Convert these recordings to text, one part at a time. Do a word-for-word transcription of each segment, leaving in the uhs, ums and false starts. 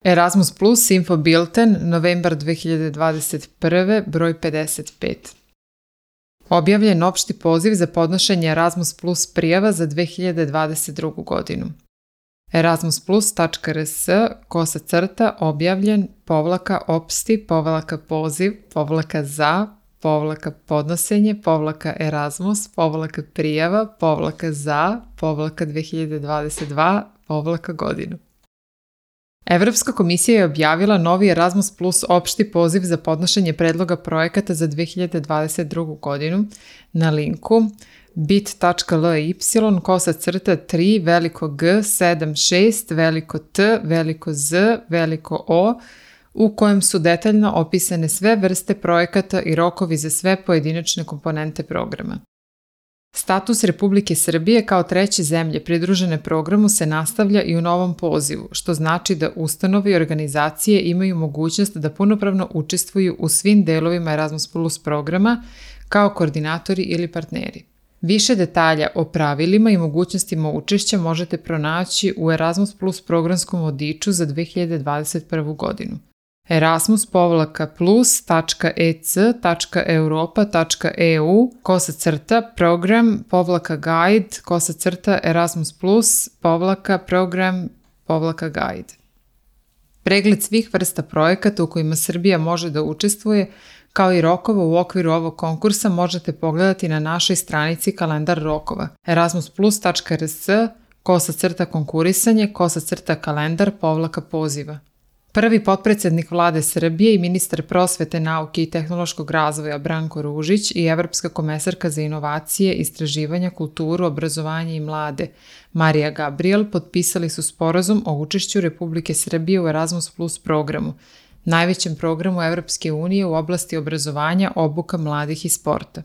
Erasmus Plus Info Bilten, novembar dve hiljade dvadeset prve, broj pedeset pet. Objavljen opšti poziv za podnošenje Erasmus Plus prijava za dve hiljade dvadeset drugu godinu. erasmusplus tačka rs, kosa crta, objavljen, povlaka, opšti, povlaka poziv, povlaka za, povlaka podnosenje, povlaka Erasmus, povlaka prijava, povlaka za, povlaka dve hiljade dvadeset dva, povlaka godinu. Evropska komisija je objavila novi Erasmus Plus opšti poziv za podnošenje predloga projekata za dve hiljade dvadeset drugu godinu na linku bit.ly kosa crta tri veliko G sedam šest veliko T veliko Z veliko O u kojem su detaljno opisane sve vrste projekata i rokovi za sve pojedinačne komponente programa. Status Republike Srbije kao treće zemlje pridružene programu se nastavlja i u novom pozivu, što znači da ustanove i organizacije imaju mogućnost da punopravno učestvuju u svim delovima Erasmus Plus programa kao koordinatori ili partneri. Više detalja o pravilima i mogućnostima učešća možete pronaći u Erasmus Plus programskom vodiču za dve hiljade dvadeset prvu godinu. erasmus plus tačka e c tačka europa tačka e u kosa crta program povlaka guide kosa crta Erasmus Plus povlaka program povlaka guide. Pregled svih vrsta projekata u kojima Srbija može da učestvuje, kao i rokova u okviru ovog konkursa možete pogledati na našoj stranici kalendar rokova erasmusplus tačka rs kosa crta konkurisanje kosa crta kalendar povlaka poziva. Prvi potpredsednik Vlade Srbije i ministar prosvete, nauke i tehnološkog razvoja Branko Ružić i evropska komesarka za inovacije, istraživanja, kulturu, obrazovanje i mlade Marija Gabriel potpisali su sporazum o učešću Republike Srbije u Erasmus Plus programu, najvećem programu Evropske unije u oblasti obrazovanja, obuka mladih i sporta.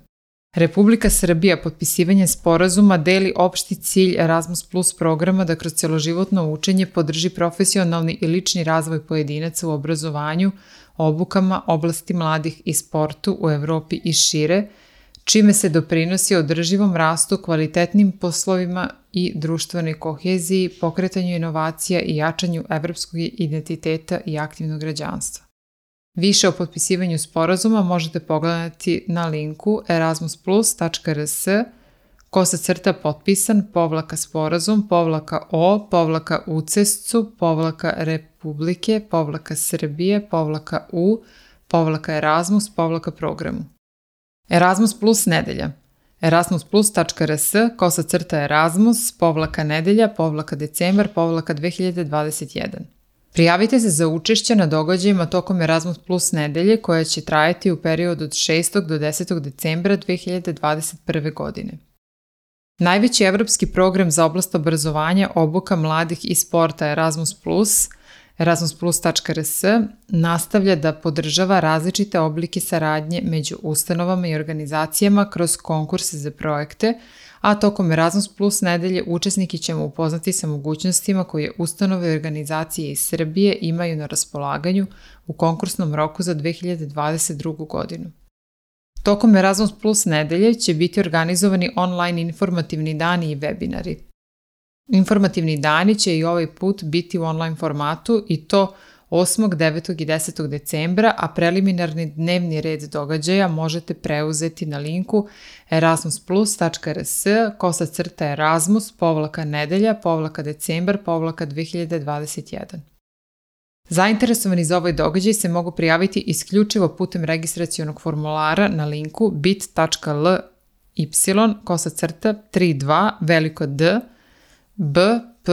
Republika Srbija potpisivanjem sporazuma deli opšti cilj Erasmus Plus programa da kroz celoživotno učenje podrži profesionalni i lični razvoj pojedinaca u obrazovanju, obukama, oblasti mladih i sportu u Evropi i šire, čime se doprinosi održivom rastu, kvalitetnim poslovima i društvenoj koheziji, pokretanju inovacija i jačanju evropskog identiteta i aktivnog građanstva. Više o potpisivanju sporazuma možete pogledati na linku erasmusplus tačka rs kosa crta potpisan povlaka sporazum povlaka o povlaka ucescu povlaka Republike povlaka Srbije povlaka u povlaka Erasmus povlaka programu. Erasmus Plus nedelja erasmusplus tačka rs kosa crta Erasmus povlaka nedelja povlaka decembar povlaka dve hiljade dvadeset jedan. Prijavite se za učešće na događajima tokom Erasmus Plus nedelje koja će trajati u periodu od šestog do desetog decembra dve hiljade dvadeset prve godine. Najveći evropski program za oblast obrazovanja, obuka mladih i sporta Erasmus Plus, erasmusplus tačka rs, nastavlja da podržava različite oblike saradnje među ustanovama i organizacijama kroz konkurse za projekte, a tokom Erasmus Plus nedelje učesniki ćemo upoznati sa mogućnostima koje ustanove i organizacije iz Srbije imaju na raspolaganju u konkursnom roku za dve hiljade dvadeset drugu godinu. Tokom Erasmus Plus nedelje će biti organizovani online informativni dani i webinari. Informativni dani će i ovaj put biti u online formatu i to osmog, devetog i desetog decembra, a preliminarni dnevni red događaja možete preuzeti na linku erasmusplus tačka rs kosa crta Erasmus povlaka nedelja povlaka decembar povlaka dve hiljade dvadeset jedan. Zainteresovani za ovaj događaj se mogu prijaviti isključivo putem registracionog formulara na linku bit.ly kosa crta tri dva veliko D B P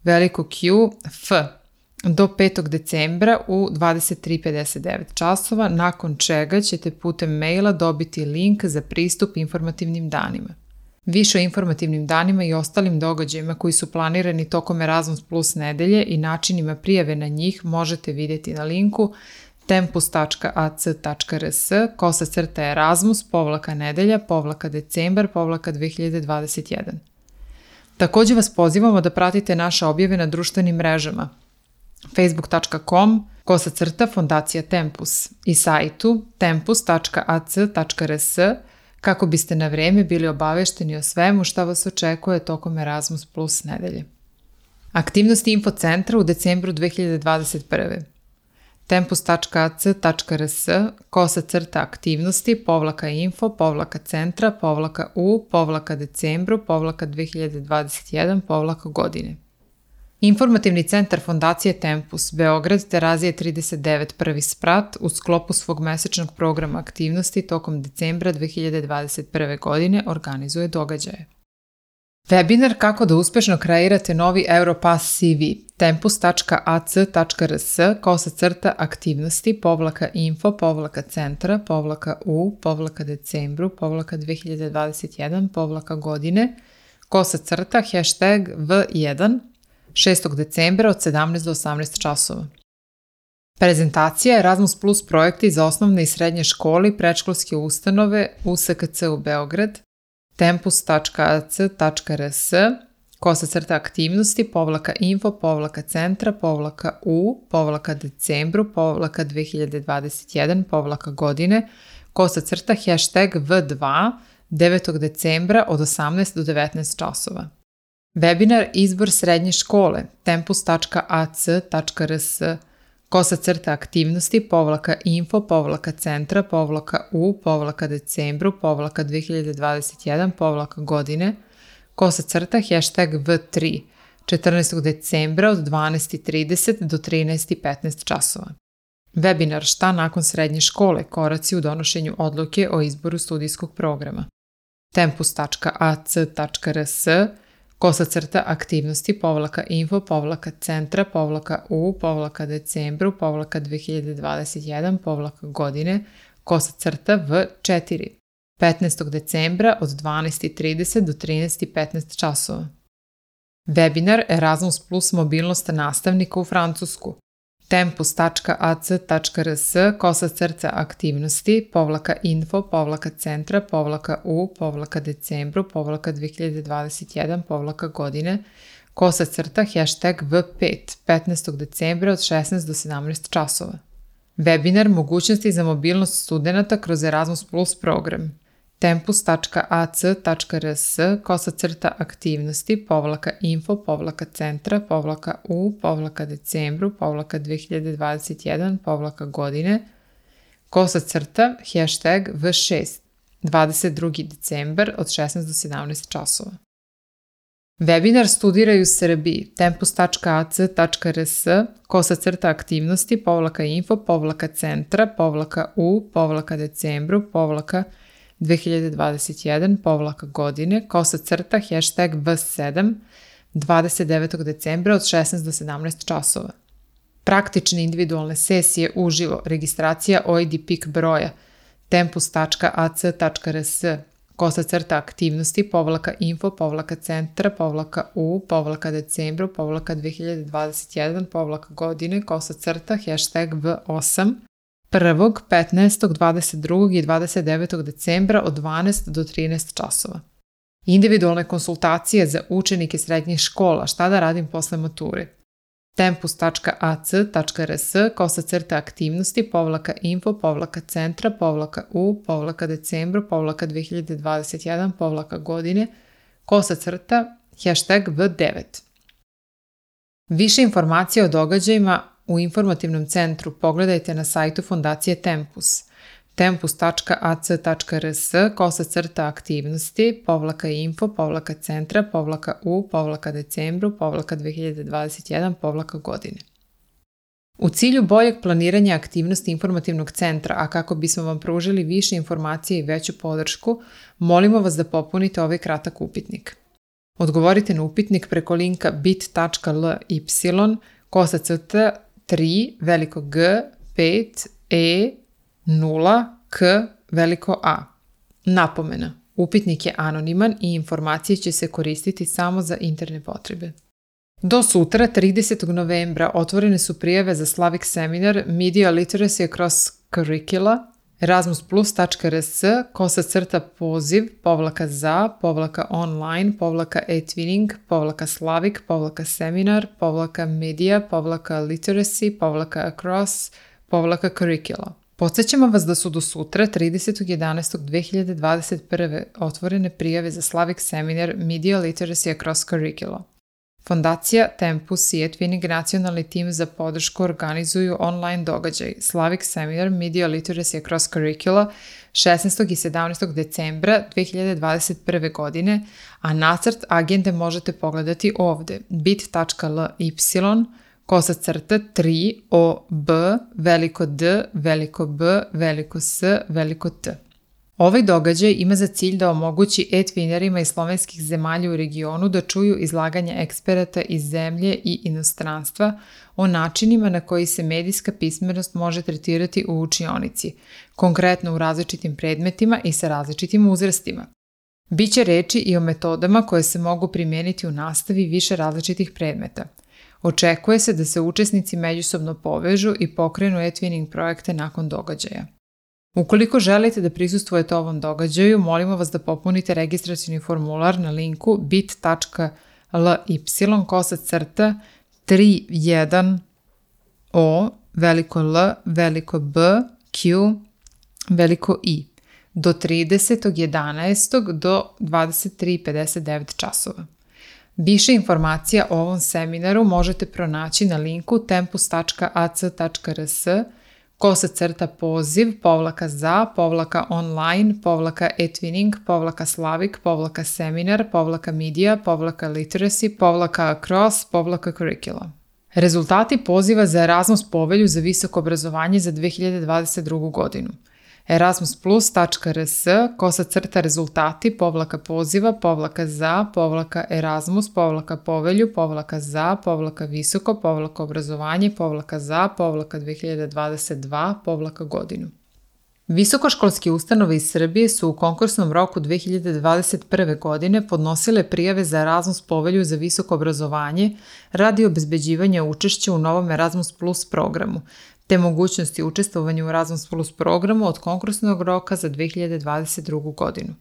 veliko Q F do petog decembra u dvadeset tri pedeset devet časova, nakon čega ćete putem maila dobiti link za pristup informativnim danima. Više o informativnim danima i ostalim događajima koji su planirani tokom Erasmus Plus nedelje i načinima prijave na njih možete vidjeti na linku tempus tačka a c tačka rs kosa crta Erasmus povlaka nedelja povlaka decembar povlaka dve hiljade dvadeset jedan. Također vas pozivamo da pratite naše objave na društvenim mrežama facebook tačka com kosa crta Fondacija Tempus i sajtu tempus tačka a c tačka rs kako biste na vreme bili obavešteni o svemu šta vas očekuje tokom Erasmus Plus nedelje. Aktivnosti Infocentra u decembru dve hiljade dvadeset prve. tempus tačka a c tačka r s kosa crta aktivnosti povlaka info povlaka centra povlaka u povlaka decembru povlaka dve hiljade dvadeset jedan povlaka godine. Informativni centar Fondacije Tempus, Beograd, Terazije trideset devet, prvi sprat, u sklopu svog mesečnog programa aktivnosti tokom decembra dve hiljade dvadeset prve. godine organizuje događaje. Webinar kako da uspešno kreirate novi Europass C V, tempus tačka a c tačka r s kosa crta aktivnosti povlaka info povlaka centra povlaka u povlaka decembru povlaka dve hiljade dvadeset jedan povlaka godine kosa crta hashtag v jedan šestog decembra od sedamnaest do osamnaest časova. Prezentacija Erasmus Plus projekti za osnovne i srednje škole i predškolske ustanove U S K C u Beograd, tempus tačka a c tačka r s kosa crta aktivnosti povlaka info povlaka centra povlaka u povlaka decembru povlaka dve hiljade dvadeset jedan povlaka godine kosa crta hashtag v dva devetog decembra od osamnaest do devetnaest časova. Webinar Izbor srednje škole, tempus tačka a c tačka r s kosa crta aktivnosti povlaka info povlaka centra povlaka u povlaka decembru povlaka dve hiljade dvadeset jedan povlaka godine kosa crta hashtag v tri četrnaestog decembra od dvanaest i trideset do trinaest i petnaest časova. Webinar Šta nakon srednje škole, koraci u donošenju odluke o izboru studijskog programa, tempus tačka a c tačka r s kosa crta aktivnosti povlaka info povlaka centra povlaka u povlaka decembru povlaka dve hiljade dvadeset jedan povlaka godine kosa crta v četiri petnaestog decembra od dvanaest i trideset do trinaest i petnaest časova. Webinar Erasmus Plus mobilnost nastavnika u Francusku, tempus tačka a c tačka r s kosa crta aktivnosti povlaka info povlaka centra povlaka u povlaka decembru povlaka dve hiljade dvadeset jedan povlaka godine kosa crta hashtag v pet petnaestog decembra od šesnaest do sedamnaest časova. Webinar Mogućnosti za mobilnost studenata kroz Erasmus Plus program, tempus tačka a c tačka r s kosa crta aktivnosti povlaka info povlaka centra povlaka u povlaka decembru povlaka dve hiljade dvadeset jedan povlaka godine kosa crta hashtag v šest dvadeset drugi decembar od šesnaest do sedamnaest časova. Webinar Studiraj u Srbiji, tempus tačka a c tačka r s kosa crta aktivnosti povlaka info povlaka centra povlaka u povlaka decembru povlaka dve hiljade dvadeset jedan povlaka godine kosa crta hashtag v sedam dvadeset devetog decembra od šesnaest do sedamnaest časova. Praktične individualne sesije uživo, registracija O I D P I K broja, tempus tačka a c tačka r s kosa crta aktivnosti povlaka info povlaka centra povlaka u povlaka decembru povlaka dve hiljade dvadeset jedan povlaka godine kosa crta hashtag v osam prvog, petnaestog, dvadeset drugog i dvadeset devetog decembra od dvanaest do trinaest časova. Individualne konsultacije za učenike srednjih škola, šta da radim posle mature. tempus tačka a c tačka r s kosa crta aktivnosti povlaka info povlaka centra povlaka u povlaka decembru povlaka dve hiljade dvadeset jedan povlaka godine kosa crta hashtag v devet. Više informacija o događajima u informativnom centru pogledajte na sajtu Fondacije Tempus, tempus tačka a c tačka r s kosa crta aktivnosti povlaka info povlaka centra povlaka u povlaka decembru povlaka dve hiljade dvadeset jedan povlaka godine. U cilju boljeg planiranja aktivnosti informativnog centra, a kako bismo vam pružili više informacije i veću podršku, molimo vas da popunite ovaj kratak upitnik. Odgovorite na upitnik preko linka bit tačka l y kosa crta tri veliko G pet E nula K veliko A. Napomena. Upitnik je anoniman i informacije će se koristiti samo za interne potrebe. Do sutra, tridesetog novembra, otvorene su prijave za Slavic seminar Media Literacy Across Curricula, erasmus plus tačka r s kosa crta poziv povlaka za povlaka online povlaka e-twinning povlaka Slavic povlaka seminar povlaka media povlaka literacy povlaka across povlaka curricula. Podsećamo vas da su do sutra, tridesetog jedanaestog dve hiljade dvadeset prve. otvorene prijave za Slavic seminar Media Literacy Across Curricula. Fondacija Tempus i eTwinning nacionalni tim za podršku organizuju online događaj Slavic Seminar Media Literacy Across Curricula šesnaestog i sedamnaestog decembra dve hiljade dvadeset prve. godine, a nacrt agende možete pogledati ovde bit.ly kosa crta tri o b veliko D veliko B veliko S veliko T. Ovaj događaj ima za cilj da omogući e-twinerima iz slovenskih zemalja u regionu da čuju izlaganja eksperata iz zemlje i inostranstva o načinima na koji se medijska pismenost može tretirati u učionici, konkretno u različitim predmetima i sa različitim uzrastima. Biće reči i o metodama koje se mogu primijeniti u nastavi više različitih predmeta. Očekuje se da se učesnici međusobno povežu i pokrenu e-twinning projekte nakon događaja. Ukoliko želite da prisustvujete ovom događaju, molimo vas da popunite registracioni formular na linku bit.ly kosa crta tri jedan o veliko L veliko B Q veliko I do tridesetog jedanaestog do dvadeset tri i pedeset devet časova. Više informacija o ovom seminaru možete pronaći na linku tempus.ac.rs kosa crta poziv, povlaka za, povlaka online, povlaka eTwinning, povlaka Slavic, povlaka seminar, povlaka media, povlaka literacy, povlaka across, povlaka curricula. Rezultati poziva za Erasmus povelju za visoko obrazovanje za dve hiljade dvadeset drugu. godinu. erasmusplus.rs kosa crta rezultati, povlaka poziva, povlaka za, povlaka Erasmus, povlaka povelju, povlaka za, povlaka visoko, povlaka obrazovanje, povlaka za, povlaka dve hiljade dvadeset dva, povlaka godinu. Visokoškolske ustanove iz Srbije su u konkursnom roku dve hiljade dvadeset prve. godine podnosile prijave za Erasmus povelju za visoko obrazovanje radi obezbeđivanja učešća u novom Erasmus Plus programu, te mogućnosti učestvovanja u Erasmus Plus programu od konkursnog roka za dve hiljade dvadeset drugu. godinu.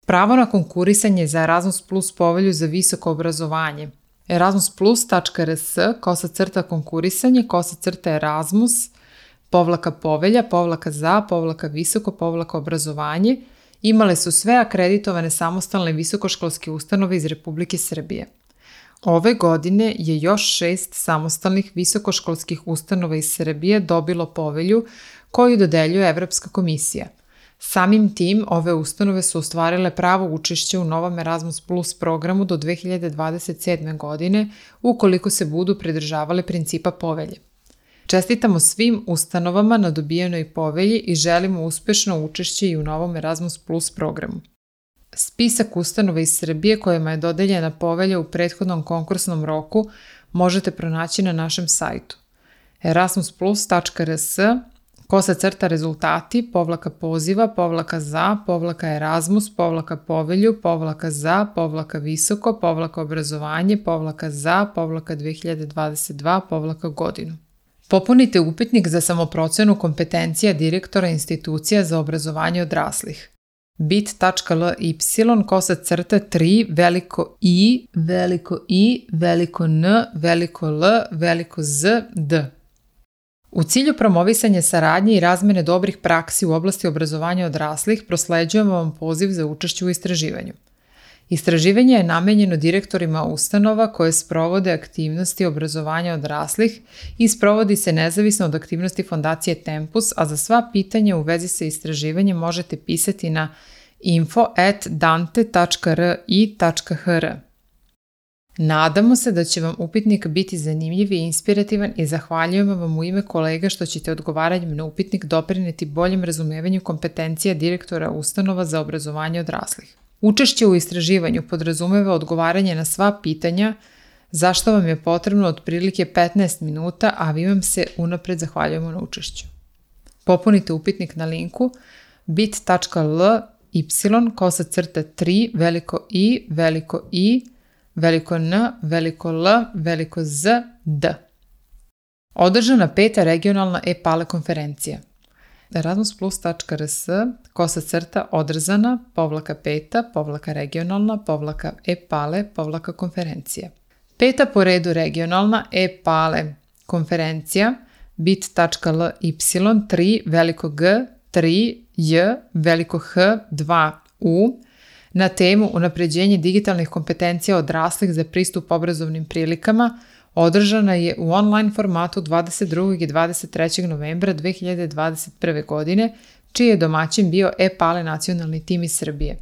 Pravo na konkurisanje za Erasmus Plus povelju za visoko obrazovanje erasmusplus.rs kosa crta konkurisanje kosa crta Erasmus povlaka povelja, povlaka za, povlaka visoko, povlaka obrazovanje imale su sve akreditovane samostalne visokoškolske ustanove iz Republike Srbije. Ove godine je još šest samostalnih visokoškolskih ustanova iz Srbije dobilo povelju koju dodeljuje Evropska komisija. Samim tim, ove ustanove su ostvarile pravo učešće u novom Erasmus Plus programu do dve hiljade dvadeset sedme. godine ukoliko se budu pridržavale principa povelje. Čestitamo svim ustanovama na dobijenoj povelji i želimo uspešno učešće i u novom Erasmus Plus programu. Spisak ustanova iz Srbije kojima je dodeljena povelja u prethodnom konkursnom roku možete pronaći na našem sajtu erasmusplus.rs kosa crta rezultati, povlaka poziva, povlaka za, povlaka Erasmus, povlaka povelju, povlaka za, povlaka visoko, povlaka obrazovanje, povlaka za, povlaka dve hiljade dvadeset dva, povlaka godinu. Popunite upitnik za samoprocenu kompetencija direktora institucija za obrazovanje odraslih. bit.ly kosa crta tri veliko I veliko I veliko N veliko L veliko Z D. U cilju promovisanja saradnje i razmene dobrih praksi u oblasti obrazovanja odraslih prosleđujemo vam poziv za učešće u istraživanju. Istraživanje je namenjeno direktorima ustanova koje sprovode aktivnosti obrazovanja odraslih i sprovodi se nezavisno od aktivnosti Fondacije Tempus, a za sva pitanja u vezi sa istraživanjem možete pisati na info at dante tačka r i tačka h r. Nadamo se da će vam upitnik biti zanimljiv i inspirativan i zahvaljujemo vam u ime kolega što ćete odgovaranjem na upitnik doprineti boljem razumevanju kompetencija direktora ustanova za obrazovanje odraslih. Učešće u istraživanju podrazumeva odgovaranje na sva pitanja, za što vam je potrebno otprilike petnaest minuta, a vi vam se unapred zahvaljujemo na učešću. Popunite upitnik na linku bit.ly kosa crta tri veliko I veliko I veliko N veliko L veliko Z D. Održana peta regionalna e-pale konferencija. erasmusplus.rs kosa crta održana povlaka peta povlaka regionalna povlaka e-pale povlaka konferencija. Peta po redu regionalna e-pale konferencija bit.ly tri veliko G tri J veliko H dva U Na temu unapređenje digitalnih kompetencija odraslih za pristup obrazovnim prilikama održana je u online formatu dvadeset drugog i dvadeset trećeg novembra dve hiljade dvadeset prve. godine, čiji je domaćin bio e-Pale nacionalni tim iz Srbije.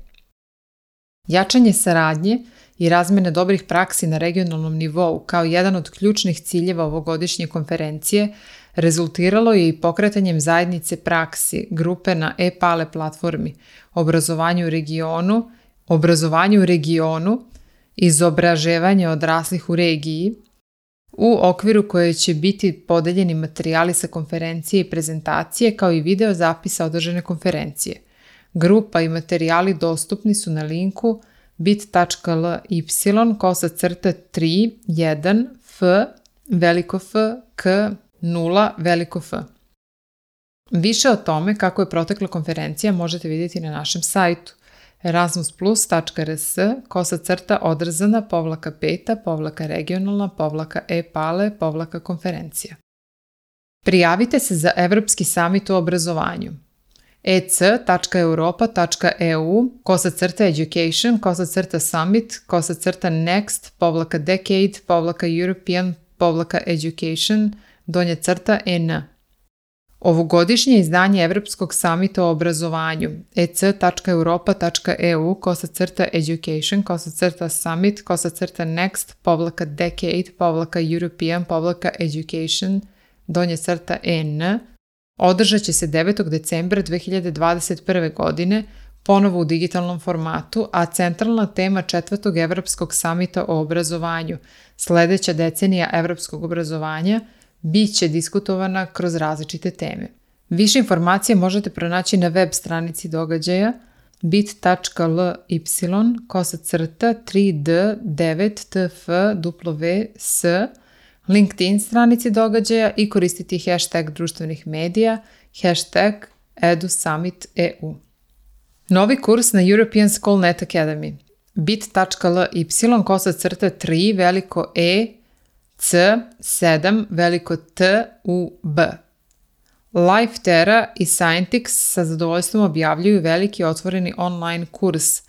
Jačanje saradnje i razmene dobrih praksi na regionalnom nivou kao jedan od ključnih ciljeva ovogodišnje konferencije rezultiralo je i pokretanjem zajednice praksi grupe na e-Pale platformi, obrazovanju u regionu, obrazovanju u regionu, izobraževanje odraslih u regiji, u okviru koje će biti podeljeni materijali sa konferencije i prezentacije kao i video zapisa održane konferencije. Grupa i materijali dostupni su na linku bit.ly kosa crta tri jedan f veliko F k nula veliko F. Više o tome kako je protekla konferencija možete vidjeti na našem sajtu erasmusplus.rs kosa crta odrzana povlaka peta povlaka regionalna povlaka e-Pale povlaka konferencija. Prijavite se za Evropski samit u obrazovanju. ec.europa.eu kosa crta education kosa crta summit kosa crta next povlaka decade povlaka European povlaka education donja crta en. Ovogodišnje izdanje Evropskog samita o obrazovanju ec.europa.eu kosa crta education kosa crta summit kosa crta next povlaka decade povlaka European povlaka education donja crta en održat će se devetog decembra dve hiljade dvadeset prve. godine ponovo u digitalnom formatu, a centralna tema četvrtog Evropskog samita o obrazovanju, sledeća decenija evropskog obrazovanja, bit će diskutovana kroz različite teme. Više informacije možete pronaći na web stranici događaja bit.ly kosa crta tri d devet t f w s, LinkedIn stranici događaja i koristiti hashtag društvenih medija, hashtag EduSummitEU. Novi kurs na European School Net Academy bit.ly kosa crta tri veliko E C sedam veliko T U B. Lifetera i Scientix sa zadovoljstvom objavljuju veliki otvoreni online kurs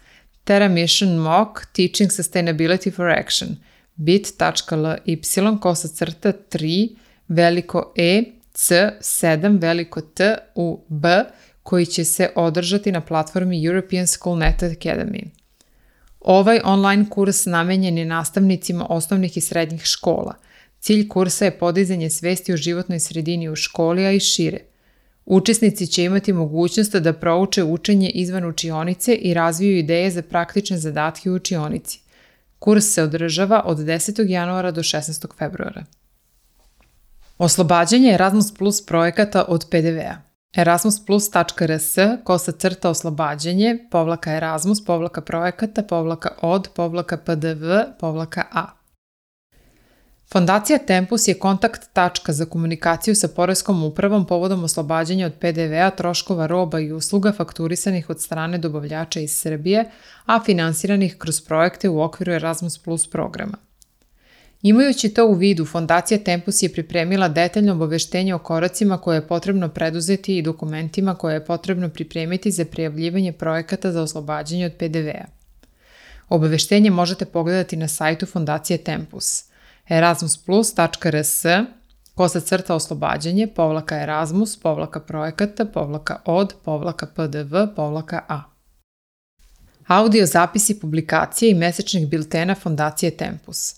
Terra Mission Mock Teaching Sustainability for Action bit.ly kosa crta tri veliko E C sedam veliko T U B koji će se održati na platformi European School Net Academy. Ovaj online kurs namenjen je nastavnicima osnovnih i srednjih škola. Cilj kursa je podizanje svesti o životnoj sredini u školi, a i šire. Učesnici će imati mogućnost da prouče učenje izvan učionice i razviju ideje za praktične zadatke u učionici. Kurs se održava od desetog januara do šesnaestog februara. Oslobađanje Erasmus Plus projekata od pe de vea. erasmusplus.rs kosa crta oslobađanje povlaka Erasmus povlaka projekata povlaka od povlaka pdv povlaka a. Fondacija Tempus je kontakt tačka za komunikaciju sa Poreskom upravom povodom oslobađanja od pe de vea troškova roba i usluga fakturisanih od strane dobavljača iz Srbije, a finansiranih kroz projekte u okviru Erasmus Plus programa. Imajući to u vidu, Fondacija Tempus je pripremila detaljno obaveštenje o koracima koje je potrebno preduzeti i dokumentima koje je potrebno pripremiti za prijavljivanje projekata za oslobađanje od pe de vea. Obaveštenje možete pogledati na sajtu Fondacije Tempus erasmusplus.rs kosa crta oslobađanje povlaka Erasmus povlaka projekata povlaka od povlaka pdv povlaka a. Audio zapisi publikacije i mesečnih biltena Fondacije Tempus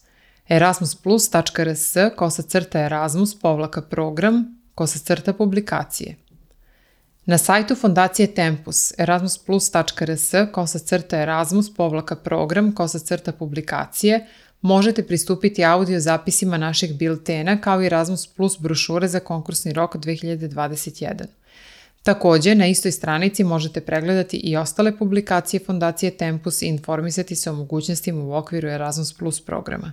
erasmusplus.rs kosa crta Erasmus povlaka program kosa crta publikacije. Na sajtu Fondacije Tempus erasmusplus.rs kosa crta Erasmus povlaka program kosa crta publikacije možete pristupiti audio zapisima naših biltena kao i Erasmus Plus brošure za konkursni rok dve hiljade dvadeset jedan. Takođe, na istoj stranici možete pregledati i ostale publikacije Fondacije Tempus i informisati se o mogućnostima u okviru Erasmus Plus programa.